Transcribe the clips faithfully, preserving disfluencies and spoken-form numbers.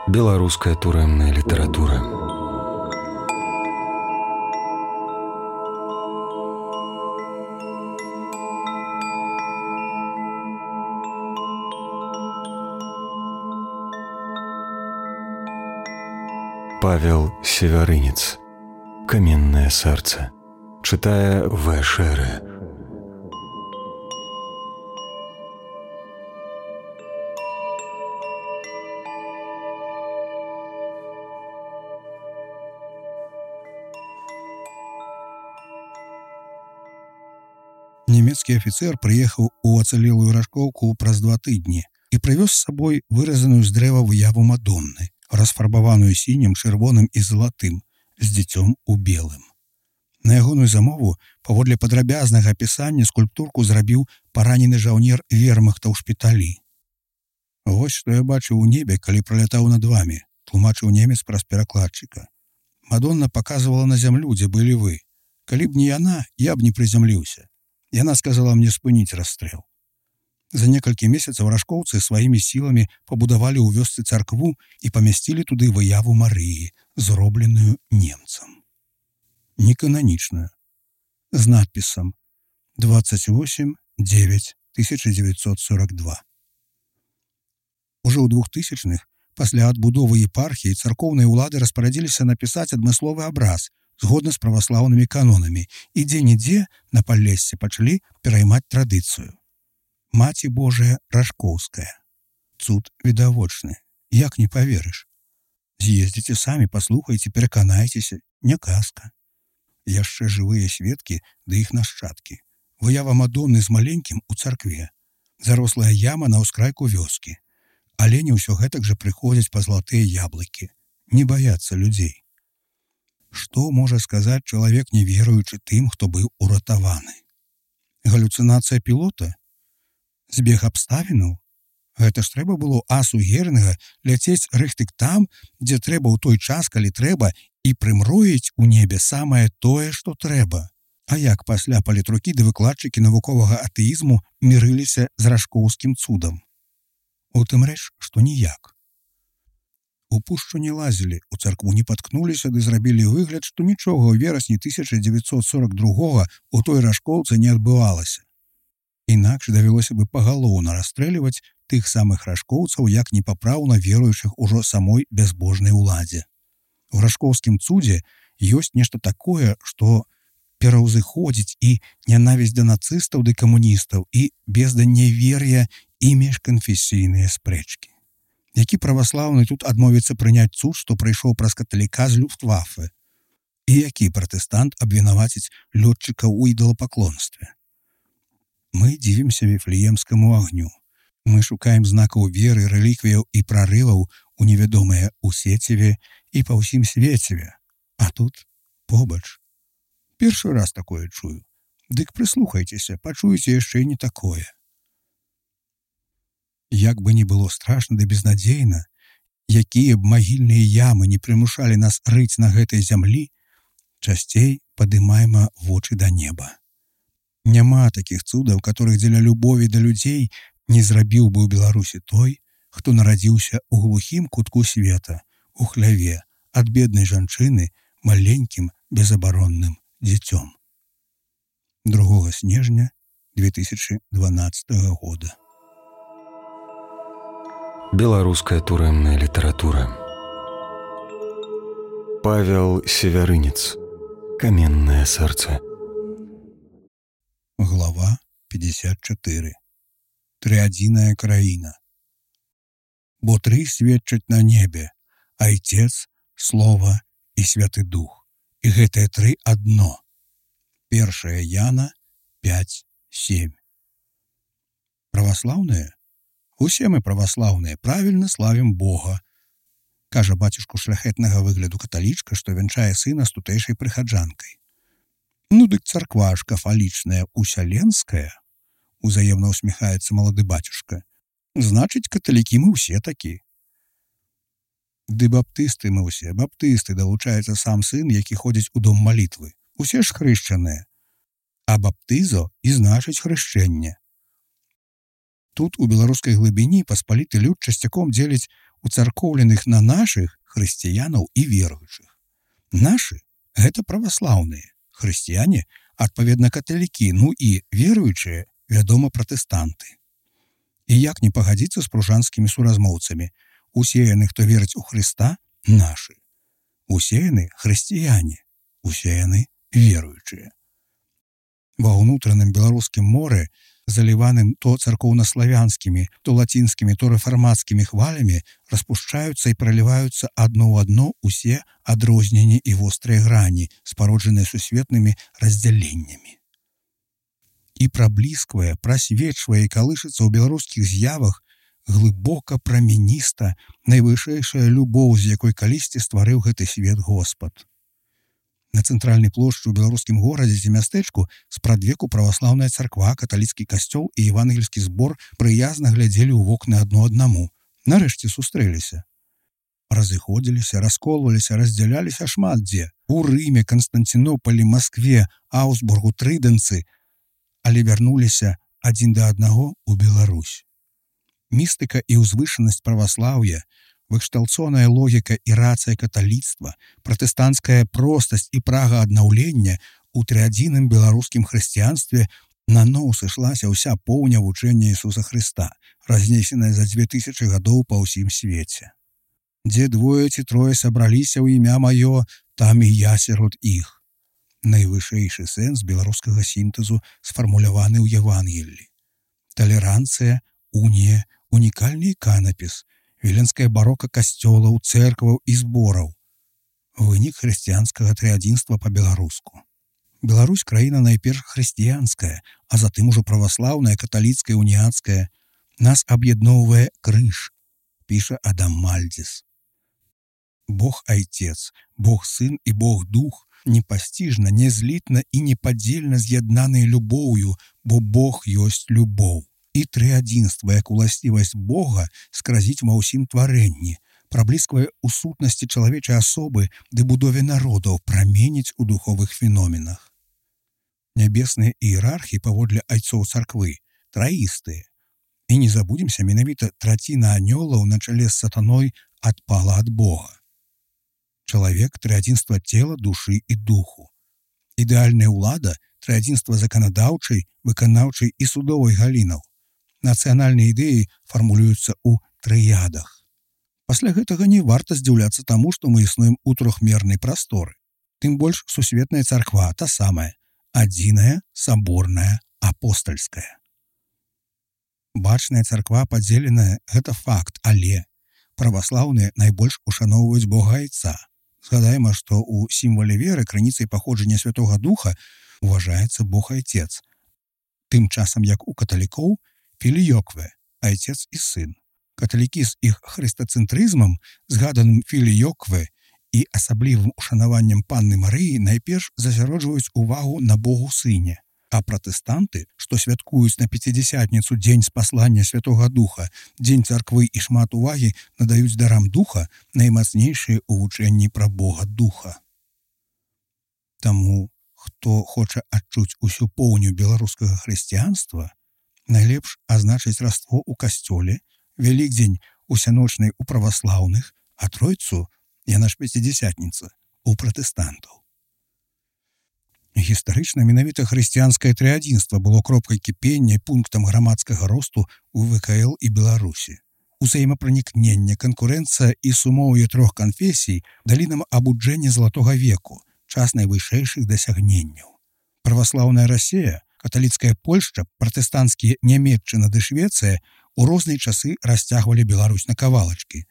Беларуская турэмная літаратура. Павел Севярынец. Каменное сердце. Читая В. Шеры. Нямецкі афіцэр прыехаў у ацалелую Рашкоўку праз два тыдні і прывёз з сабой выразаную з дрэва выяву Мадонны, расфарбаваную сінім, чырвоным і залатым, з дзіцём у белым. На ягоную замову, паводле падрабязнага апісання, скульптурку зрабіў паранены жаўнер вермахта ў шпіталі. «Вось што я бачыў у небе, калі пралятаў над вамі», тлумачыў немец праз перакладчыка. «Мадонна паказвала на зямлю, дзе былі вы. Калі б не яна, я б не прызямліўся. Яна сказала мне спыніць расстрэл». За некалькі месяцаў рашкоўцы сваімі сіламі пабудавалі ў вёсцы царкву і памясцілі туды выяву Марыі, зробленую немцам. Некананічную, з надпісам двадцать восемь девять тысяча девятьсот сорок два. Ужо ў двухтысячных, пасля адбудовы епархіі, царкоўныя ўлады распарадзіліся напісаць адмысловы абраз згодна з праваслаўнымі канонамі, і дзе-нідзе на Паллессе пачалі пераймаць традыцыю. Маці Божая Рашкоўская. Цуд відавочны. Як не паверыш? З'ездзіце самі, паслухайце, пераканайцеся. Не казка. Яшчэ жывыя сведкі ды іх нашчадкі. Выява Мадонны з маленькім у царкве. Зарослая яма на ўскрайку вёскі. Алені ўсё гэтак жа прыходзяць па златыя яблыкі. Не баяцца людзей. Што можа сказаць чалавек, не веруючы тым, хто быў уратаваны? Галюцынацыя пілота? Збег абставінаў? Гэта ж трэба было асу Герінга ляцець рыхтык там, дзе трэба ў той час, калі трэба, і прымроіць у небе самае тое, што трэба. А як пасля палітрукі ды выкладчыкі навуковага атэізму мірыліся з рашкоўскім цудам? У тым рэч, што ніяк. У пушчу не лазілі, у царкву не паткнуліся ды зрабілі выгляд, што нічога ў верасні тысяча дзевяцьсот сорок другога у той рашкоўцы не адбывалася. Інакш давялося бы пагалоўна расстрэльваць тых самых рашкоўцаў, як непапраўна веруючых ужо самой бязбожнай уладзе. У рашкоўскім цудзе ёсць нешта такое, што пераўзыходзіць і нянавісць да нацыстаў ды камуністаў, і безданнявер'я і міжканфесійныя спрэчкі. Які праваслаўны тут адмовіцца прыняць цуд, што прыйшоў праз каталіка з Люфтваффе? І які пратэстант абвінаваціць лётчыка ў ідалапаклонстве? Мы дзівімся віфлеемскаму агню. Мы шукаем знакаў веры, рэліквіяў і прарываў у невядомае ў сеціве і па ўсім свеціве. А тут побач. Першы раз такое чую. Дык прыслухайцеся, пачуеце яшчэ і не такое. Як бы не было страшна ды безнадзейна, якія б магільныя ямы не прымушалі нас рыць на гэтай зямлі, часцей падымайма вочы да неба. Няма такіх цудаў, которых дзеля любові да людзей не зрабіў бы ў Беларусі той, хто нарадзіўся ў глухім кутку света, у хляве, ад беднай жанчыны, маленькім безабаронным дзіцём. другога снежня две тысячи дванаццатага года. Беларуская турэмная літаратура. Павел Севярынец. Каменное сердце. Глава пятьдесят четыре. Триадзіная краіна. Бо тры сведчаць на небе: Айцец, Слова і Святы Дух. І гэтыя тры адно. Першая Яна пять семь. Праваслаўныя? Усе мы праваслаўныя, правільна славім Бога, кажа бацюшку шляхетнага выгляду каталічка, што вянчае сына з тутэйшай прыхаджанкай. Ну дык царква ж кафалічная усяленская, узаемна усміхаецца малады бацюшка. Значыць, каталікі мы ўсе такі. Ды баптысты мы ўсе, баптысты, далучаецца сам сын, які ходзіць у дом малітвы. Усе ж хрышчаныя. А баптызо і значыць хрышчэнне. Тут у беларускай глыбіні паспаліты люд часцяком дзеліць уцаркоўленых на нашых хрысціянаў і веруючых. Нашы – гэта праваслаўныя, хрысціяне – адпаведна каталікі, ну і веруючыя, вядома, пратэстанты. І як не пагадзіцца з пружанскімі суразмоўцамі, усе яны, хто верыць у Хрыста, нашы. Усе яны хрысціяне, усе яны веруючыя. Ва ўнутраным беларускім моры, заліваным то царкоўнаславянскімі, то лацінскімі, то рэфармацкімі хвалямі, распушчаюцца і праліваюцца адно ў адно ўсе адрозненні і вострыя грані, спароджаныя сусветнымі раздзяленнямі. І праблісквае, прасвечвае і калышыцца ў беларускіх з'явах глыбока прамяніста найвышэйшая любоў, з якой калісьці стварыў гэты свет Господ. На цэнтральнай плошчы ў беларускім горадзе ці мястэчку спрадвеку праваслаўная царква, каталіцкі касцёл і евангельскі збор прыязна глядзелі ў вокны адно аднаму. Нарэшце сустрэліся. Разыходзіліся, расколваліся, раздзяляліся шмат дзе. У Рыме, Канстанцінопалі, Маскве, Аўсбургу, Трыдэнцы, але вярнуліся адзін да аднаго ў Беларусь. Містыка і ўзвышанасць праваслаўя, выкшталцоная логіка і рацыя каталіцтва, пратэстанцкая простасць і прага аднаўлення у трыадзіным беларускім хрысціянстве наноў сышлася ўся поўня вучэння Ісуса Хрыста, разнесеная за дзве тысячы гадоў па ўсім свеце. Дзе двое ці трое сабраліся ў імя маё, там і я сярод іх. Найвышэйшы сэнс беларускага сінтэзу сфармуляваны ў Евангеллі. Талеранцыя, унія, унікальны іканапіс, віленская барока касцёлаў, цэркваў і збораў. Вынік хрысціянскага трыадзінства па-беларуску. Беларусь – краіна найперш хрысціянская, а затым ужо праваслаўная, каталіцкая, уніяцкая. Нас аб'ядноўвае крыж, піша Адам Мальдзіс. Бог Айцец, Бог Сын і Бог Дух непасціжна, нязлітна і непадзельна з'яднаныя любоўю, бо Бог ёсць любоў. І трыадзінства, як уласцівасць Бога, скразіць ва ўсім тварэнні, праблісквае ў сутнасці чалавечай асобы ды будове народаў, праменіць у духовых феноменах. Нябесныя іерархі паводле айцоў царквы траістыя. І не забудземся, менавіта траціна анёлаў на чале з сатаной адпала ад Бога. Чалавек – трыадзінства цела, душы і духу. Ідэальная ўлада – трыадзінства заканадаўчай, выканаўчай і судовай галінаў. Нацыянальныя ідэі фармулююцца ў трыядах. Пасля гэтага не варта здзіўляцца таму, што мы існуем у трохмернай прасторы. Тым больш сусветная царква та самая, адзіная, саборная, апостальская. Бачная царква падзеленая – гэта факт, але праваслаўныя найбольш ушаноўваюць Бога Айца. Згадаем, што ў сімвале веры крыніцай паходжання Святога Духа уважаецца Бог Айцец. Тым часам, як у каталікоў, філіёкве, айцец і сын. Каталікі з іх хрыстацэнтрызмам, згаданым філіёкве і асаблівым ушанаваннем Панны Марыі найперш засяроджваюць увагу на Богу Сыне, а пратэстанты, што святкуюць на пяцідзясятніцу дзень спаслання Святога Духа, дзень царквы і шмат увагі надаюць дарам Духа, наймацнейшыя ў вучэнні пра Бога Духа. Таму, хто хоча адчуць усю поўню беларускага хрысціянства, найлепш азначыць раство ў касцёле, Вялікдзень усяночнай у праваслаўных, а Тройцу, яна ж пяцідзясятніца, у пратэстантаў. Гістарычна менавіта хрысціянскае трыадзінства было кропкай кіпення і пунктам грамадскага росту ў вэ ка эл і Беларусі. Узаемапранікненне, канкурэнцыя і сумоўе трох канфесій далі нам абуджэнне залатога веку, час найвышэйшых дасягненняў. Праваслаўная Расія, каталіцкая Польшча, пратэстанцкія Нямецчына ды Швецыя у розныя часы расцягвалі Беларусь на кавалачкі.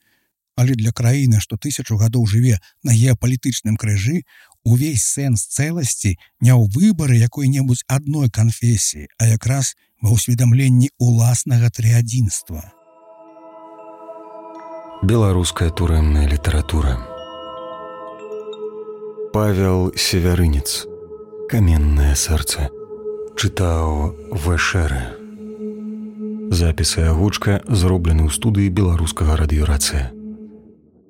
Але для краіны, што тысячу гадоў жыве на геапалітычным крыжы, увесь сэнс цэласці не ў выбары якой-небудзь адной канфесіі, а якраз ва ўсведамленні уласнага трыадзінства. Беларуская турэмная літаратура. Павел Севярынец. Каменнае сэрца. Чытаў Вэшэрэ. Запісы агучка зроблены ў студыі беларускага радыёрацыя.